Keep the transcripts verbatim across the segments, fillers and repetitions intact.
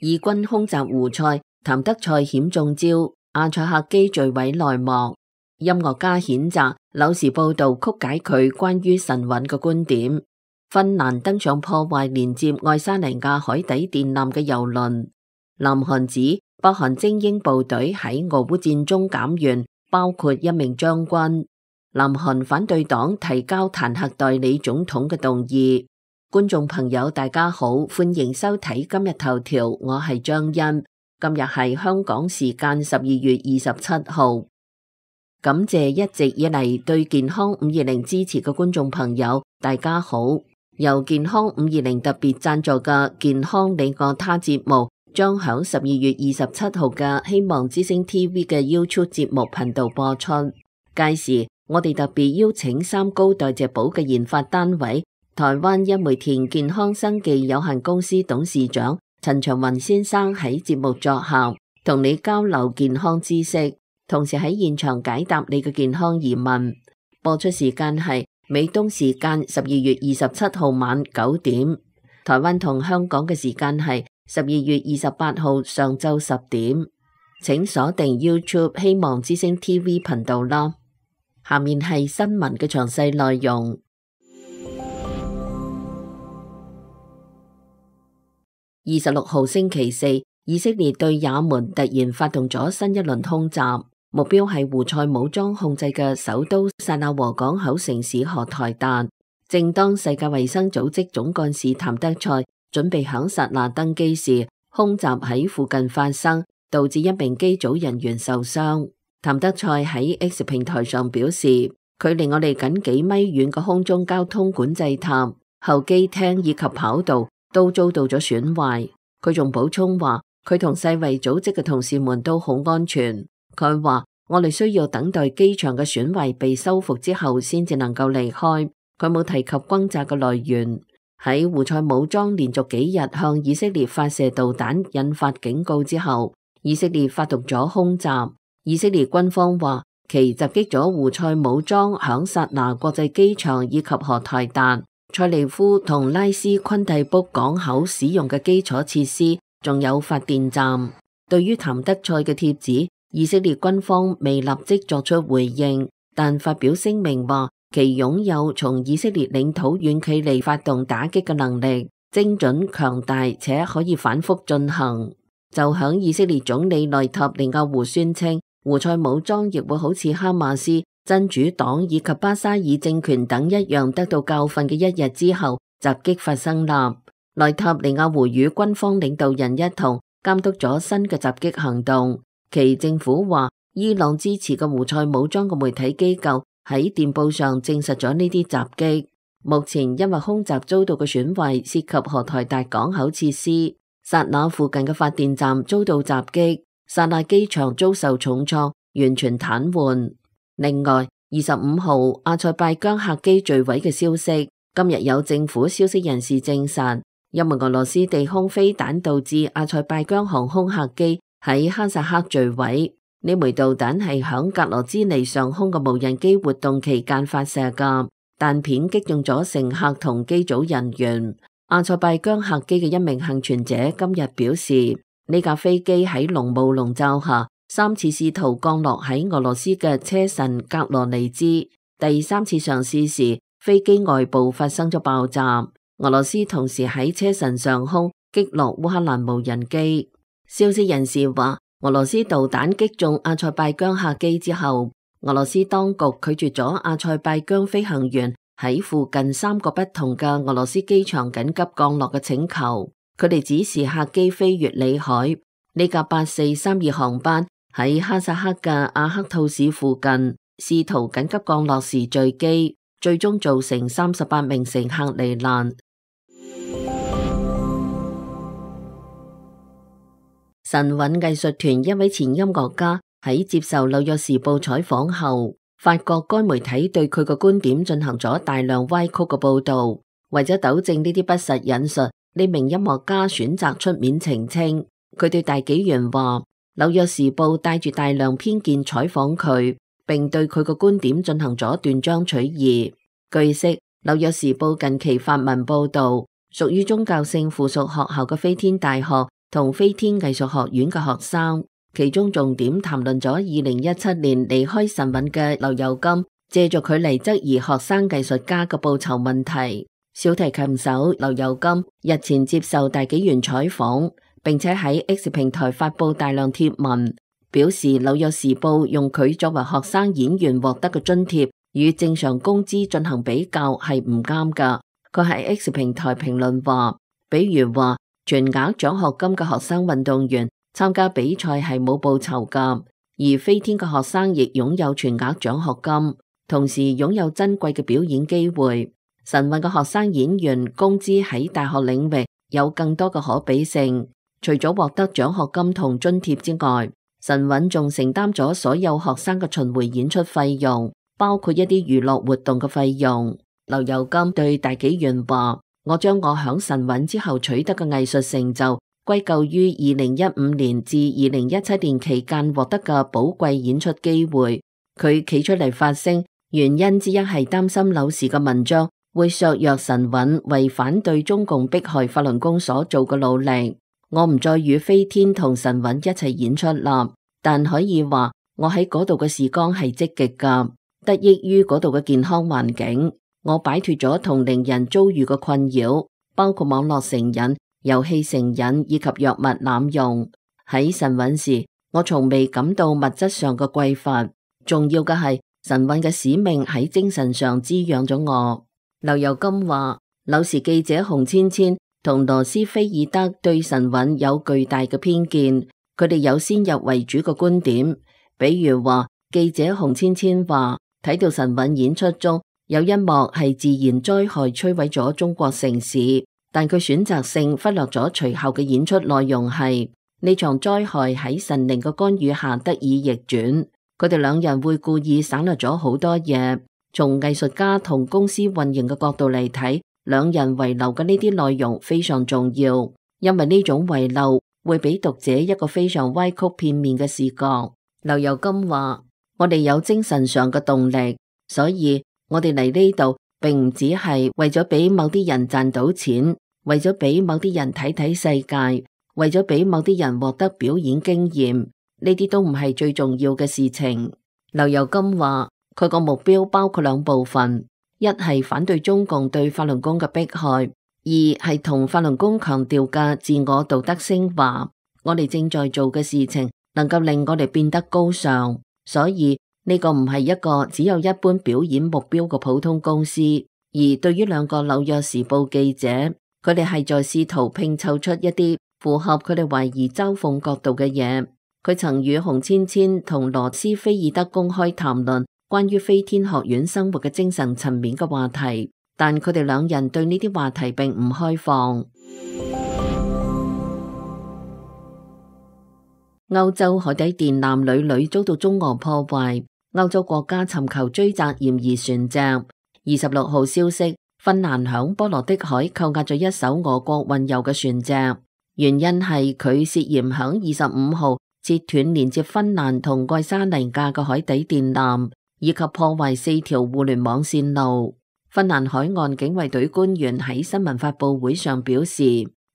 以軍空襲胡塞，譚德塞險中招，阿塞客機墜毀內幕。音樂家譴責紐時報道曲解佢關於神韻嘅觀點。芬蘭登上破壞連接愛沙尼亞海底電纜嘅郵輪。南韓指北韓精英部隊喺俄烏戰中減員，包括一名將軍。南韓反對黨提交彈劾代理總統嘅動議。觀眾朋友大家好，歡迎收睇今日頭條，我係張欣。今日係香港時間十二月二十七號。感謝一直以嚟對健康五二零支持嘅觀眾朋友，大家好。由健康五二零特別贊助嘅健康你我他節目，將響十二月二十七號嘅希望之聲 T V 嘅 YouTube 節目頻道播出。屆時我哋特別邀請三高代謝寶嘅研發單位台灣一梅田健康生技有限公司董事長陳長雲先生喺節目作客，同你交流健康知識，同時喺現場解答你嘅健康疑問。播出時間係美東時間十二月二十七號晚九點，台灣同香港嘅時間係十二月二十八號上晝十點。請鎖定 YouTube 希望之聲 T V 頻道啦。下面係新聞嘅詳細內容。二十六號星期四，以色列對也門突然發動咗新一輪空襲，目標係胡塞武裝控制嘅首都薩那河港口城市荷台達。正當世界衛生組織總幹事譚德塞準備響薩那登機時，空襲喺附近發生，導致一名機組人員受傷。譚德塞喺 X 平台上表示，距離我哋僅幾米遠嘅空中交通管制塔、候機廳以及跑道都遭到咗損壞。佢仲補充話，佢同世衛組織嘅同事們都好安全。佢話，我哋需要等待機場嘅損壞被修復之後先至能夠離開。佢冇提及轟炸嘅來源。喺胡塞武裝連續幾日向以色列發射導彈引發警告之後，以色列發動咗空襲。以色列軍方話，其襲擊咗胡塞武裝響薩那國際機場以及荷台達、塞利夫同拉斯昆蒂卜港口使用嘅基礎設施，仲有發電站。對於譚德塞嘅帖子，以色列軍方未立即作出回應，但發表聲明話，其擁有從以色列領土遠距離發動打擊嘅能力，精準強大且可以反覆進行。就響以色列總理內塔尼亞胡宣稱，胡塞武裝亦會好似哈馬斯、真主黨以及巴沙爾政權等一樣得到教訓嘅一日之後，襲擊發生啦。內塔尼亞胡與軍方領導人一同監督咗新嘅襲擊行動。其政府話，伊朗支持嘅胡塞武裝嘅媒體機構喺電報上證實咗呢啲襲擊。目前因為空襲遭到嘅損壞涉及荷台達港口設施，薩那附近嘅發電站遭到襲擊，薩那機場遭受重創，完全癱瘓。另外，二十五號阿塞拜疆客機墜毀嘅消息，今日有政府消息人士證實，因為俄羅斯地空飛彈導致阿塞拜疆航空客機喺哈薩克墜毀。呢枚導彈係響格羅茲尼上空嘅無人機活動期間發射噶，彈片擊中咗乘客同機組人員。阿塞拜疆客機嘅一名幸存者今日表示，呢架飛機喺濃霧籠罩下三次試圖降落喺俄羅斯嘅車臣格羅尼茲，第三次嘗試時飛機外部發生咗爆炸。俄羅斯同時喺車臣上空擊落烏克蘭無人機。消息人士話，俄羅斯導彈擊中阿塞拜疆客機之後，俄羅斯當局拒絕咗阿塞拜疆飛行員喺附近三個不同嘅俄羅斯機場緊急降落嘅請求。佢哋指示客機飛越里海。呢架八四三二航班喺哈薩克嘅阿克吐市附近試圖緊急降落時墜機，最終造成三十八名乘客罹難。神韻藝術團一位前音樂家喺接受紐約時報採訪後，發覺該媒體對佢嘅觀點進行咗大量歪曲嘅報道。為咗糾正呢啲不實引述，呢名音樂家選擇出面澄清。佢對大紀元話，紐約時報帶住大量偏見採訪佢，並對佢嘅觀點進行咗斷章取義。據悉，紐約時報近期發文報道，屬於宗教性附屬學校嘅飛天大學同飛天藝術學院嘅學生，其中重點談論咗二零一七年離開神韻嘅劉宥金，借助佢嚟質疑學生藝術家嘅報酬問題。小提琴手劉宥金日前接受大紀元採訪，並且喺 X 平台發佈大量貼文，表示《紐約時報》用佢作為學生演員獲得嘅津貼與正常工資進行比較係唔啱㗎。佢喺 X 平台評論話，比如話全額獎學金嘅學生運動員參加比賽係冇報酬㗎，而飛天嘅學生亦擁有全額獎學金，同時擁有珍貴嘅表演機會。神韻嘅學生演員工資喺大學領域有更多嘅可比性，除咗獲得獎學金同津貼之外，神韻仲承擔咗所有學生嘅巡迴演出費用，包括一啲娛樂活動嘅費用。劉宥金對大紀元話：我將我響神韻之後取得嘅藝術成就歸咎於二零一五年至二零一七年期間獲得嘅寶貴演出機會。佢企出嚟發聲，原因之一係擔心柳時嘅文章會削弱神韻為反對中共迫害法輪功所做嘅努力。我唔再與飛天同神韻一齊演出啦，但可以話我喺嗰度嘅時光係積極噶，得益於嗰度嘅健康環境，我擺脫咗同齡人遭遇嘅困擾，包括網絡成癮、遊戲成癮以及藥物濫用。喺神韻時，我從未感到物質上嘅匱乏，重要嘅係神韻嘅使命喺精神上滋養咗我。劉宥金話，柳時記者洪千千同羅斯菲爾德對神韻有巨大嘅偏見，佢哋有先入為主嘅觀點。比如話，記者洪千千話睇到神韻演出中有一幕係自然災害摧毀咗中國城市，但佢選擇性忽略咗隨後嘅演出內容係呢場災害喺神靈嘅干預下得以逆轉。佢哋兩人會故意省略咗好多嘢。從藝術家同公司運營嘅角度嚟睇，兩人遺留嘅呢啲內容非常重要，因為呢種遺漏會俾讀者一個非常歪曲片面嘅視覺。劉宥金話：我哋有精神上嘅動力，所以我哋嚟呢度並唔只係為咗俾某啲人賺到錢，為咗俾某啲人睇睇世界，為咗俾某啲人獲得表演經驗，呢啲都唔係最重要嘅事情。劉宥金話：佢個目標包括兩部分，一係反對中共對法輪功嘅迫害，二係同法輪功強調嘅自我道德升華。我哋正在做嘅事情能夠令我哋變得高尚，所以呢個唔係一個只有一般表演目標嘅普通公司。而對於兩個紐約時報記者，佢哋係在試圖拼湊出一啲符合佢哋懷疑嘲諷角度嘅嘢。佢曾與洪千千同羅斯菲爾德公開談論關於飛天學院生活嘅精神層面嘅話題，但佢哋兩人對呢啲話題並唔開放。歐洲海底電纜屢屢遭到中俄破壞，歐洲國家尋求追責嫌疑船隻。二十六號消息，芬蘭響波羅的海扣押咗一艘俄國運油嘅船隻，原因係佢涉嫌響二十五號切斷連接芬蘭同愛沙尼亞嘅海底電纜，以及破壞四條互聯網線路。芬蘭海岸警衛隊官員喺新聞發佈會上表示，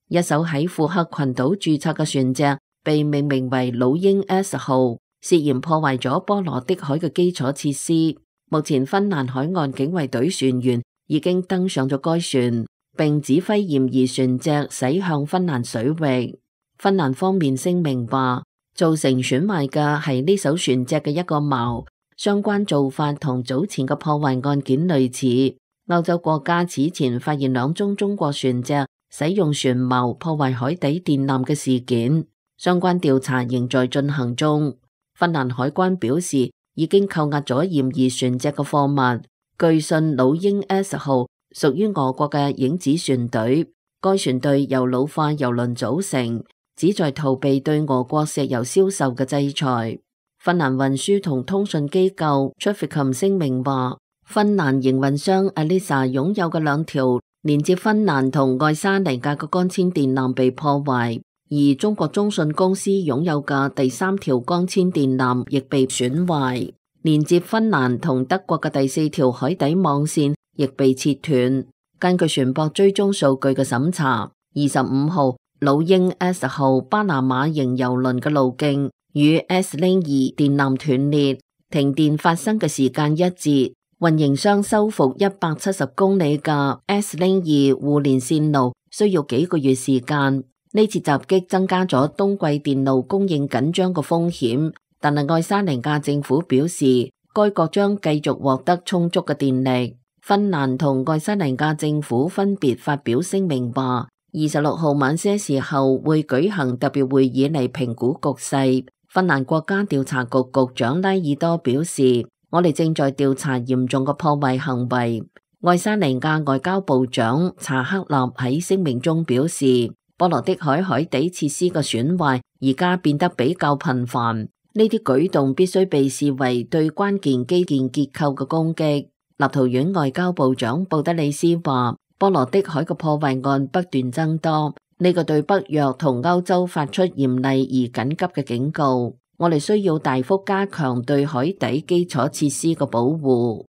一艘喺庫克群島註冊嘅船隻被命名為老鷹 S 號，涉嫌破壞咗波羅的海嘅基礎設施。目前芬蘭海岸警衛隊船員已經登上咗該船，並指揮嫌疑船隻駛向芬蘭水域。芬蘭方面聲明話，造成損壞嘅係呢艘船隻嘅一個錨，相關做法同早前嘅破壞案件類似。歐洲國家此前發現兩宗中國船隻使用船錨破壞海底電纜嘅事件，相關調查仍在進行中。芬蘭海關表示，已經扣押咗嫌疑船隻嘅貨物。據信老鷹 S 號屬於俄國嘅影子船隊，該船隊由老化油輪組成，旨在逃避對俄國石油銷售嘅制裁。芬蘭運輸同通訊機構 Traficom 聲明話，芬蘭營運商 Elisa 擁有嘅兩條連接芬蘭同愛沙尼亞嘅光纖電纜被破壞，而中國中信公司擁有嘅第三條光纖電纜亦被損壞，連接芬蘭同德國嘅第四條海底網線亦被切斷。根據船舶追蹤數據嘅審查，二十五號老鷹 S 號巴拿馬型郵輪嘅路徑與 S 零二電纜斷裂、停電發生嘅時間一致。運營商修復一百七十公里嘅 S 零二互連線路需要幾個月時間。呢次襲擊增加咗冬季電路供應緊張嘅風險，但係愛沙尼亞政府表示，該國將繼續獲得充足嘅電力。芬蘭同愛沙尼亞政府分別發表聲明話，二十六號晚些時候會舉行特別會議嚟評估局勢。芬蘭國家調查局局長拉爾多表示，我哋正在調查嚴重嘅破壞行為。愛沙尼亞外交部長查克納喺聲明中表示，波羅的海海底設施嘅損壞而家變得比較頻繁，呢啲舉動必須被視為對關鍵基建結構嘅攻擊。立陶宛外交部長布德里斯話，波羅的海嘅破壞案不斷增多，呢個對北約同歐洲發出嚴厲而緊急嘅警告。我哋需要大幅加強對海底基礎設施嘅保護。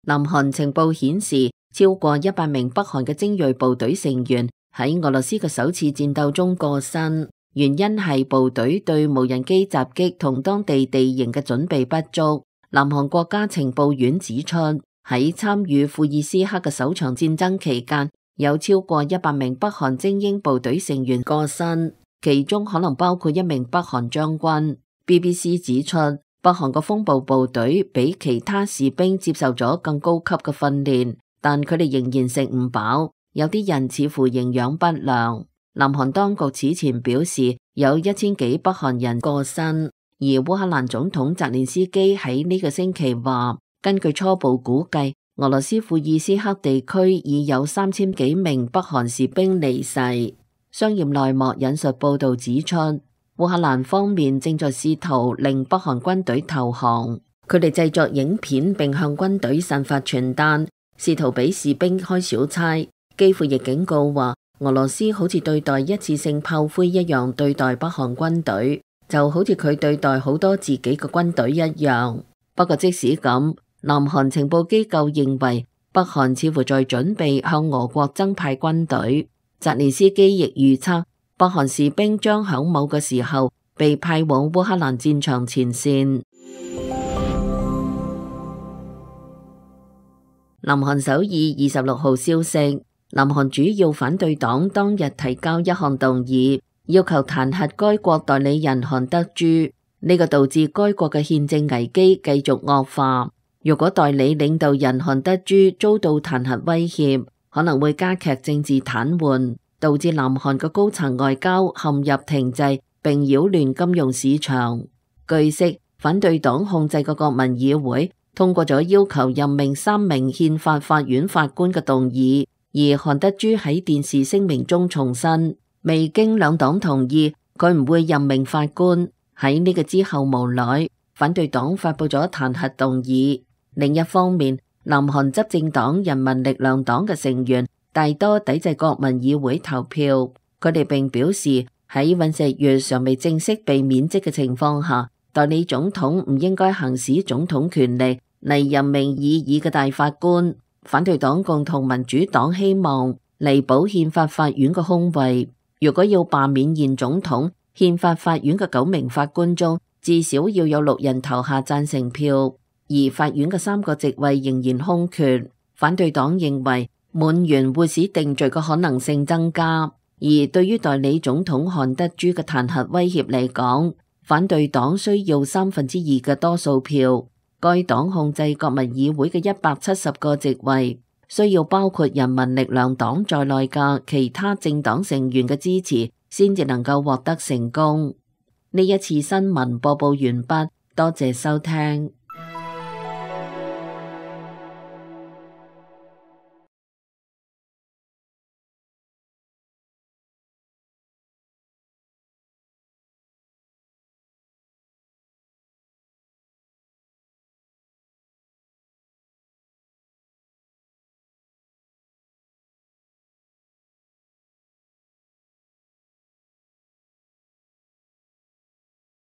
南韓情報顯示，超過一百名北韓嘅精銳部隊成員喺俄羅斯嘅首次戰鬥中過身。原因係部隊對無人機襲擊同當地地形嘅準備不足。南韓國家情報院指出，喺參與庫爾斯克嘅首場戰爭期間，有超過一百名北韓精英部隊成員過身，其中可能包括一名北韓將軍。B B C 指出，北韓嘅風暴部隊比其他士兵接受咗更高級嘅訓練，但佢哋仍然食唔飽，有啲人似乎營養不良。南韓當局此前表示有一千幾北韓人過身，而烏克蘭總統澤連斯基喺呢個星期話，根據初步估計，俄羅斯庫爾斯克地區已有三千幾名北韓士兵離世。商業內幕引述報道指出，烏克蘭方面正在試圖令北韓軍隊投降，佢哋製作影片並向軍隊散發傳單，試圖俾士兵開小差。基輔亦警告話，俄羅斯好似對待一次性炮灰一樣對待北韓軍隊，就好似佢對待好多自己嘅軍隊一樣。不過即使咁，南韓情報機構認為北韓似乎在準備向俄國增派軍隊。澤連斯基亦預測，北韓士兵將響某個時候被派往烏克蘭戰場前線。南韓首爾二十六號消息，南韓主要反對黨當日提交一項動議，要求彈劾該國代理人韓德珠，呢個導致該國嘅憲政危機繼續惡化。如果代理領導人韓德珠遭到彈劾威脅，可能會加劇政治癱瘓，導致南韓嘅高層外交陷入停滯，並擾亂金融市場。據悉，反對黨控制嘅國民議會通過咗要求任命三名憲法法院法官嘅動議。而韓德珠喺電視聲明中重申，未經兩黨同意，佢唔會任命法官。喺呢個之後無奈，反對黨發佈咗彈劾動議。另一方面，南韓執政黨人民力量黨嘅成員大多抵制國民議會投票。佢哋並表示，喺尹錫悅尚未正式被免職嘅情況下，代理總統唔應該行使總統權力嚟任命異議嘅大法官。反對黨共同民主黨希望彌補憲法法院嘅空位。如果要罷免現總統，憲法法院嘅九名法官中至少要有六人投下贊成票，而法院嘅三個席位仍然空缺。反對黨認為滿員會使定罪嘅可能性增加，而對於代理總統韓德珠嘅彈劾威脅嚟講，反對黨需要三分之二嘅多數票。該黨控制國民議會嘅一百七十個席位，需要包括人民力量黨在內嘅其他政黨成員嘅支持，先至能夠獲得成功。呢一次新聞播報完畢，多謝收聽。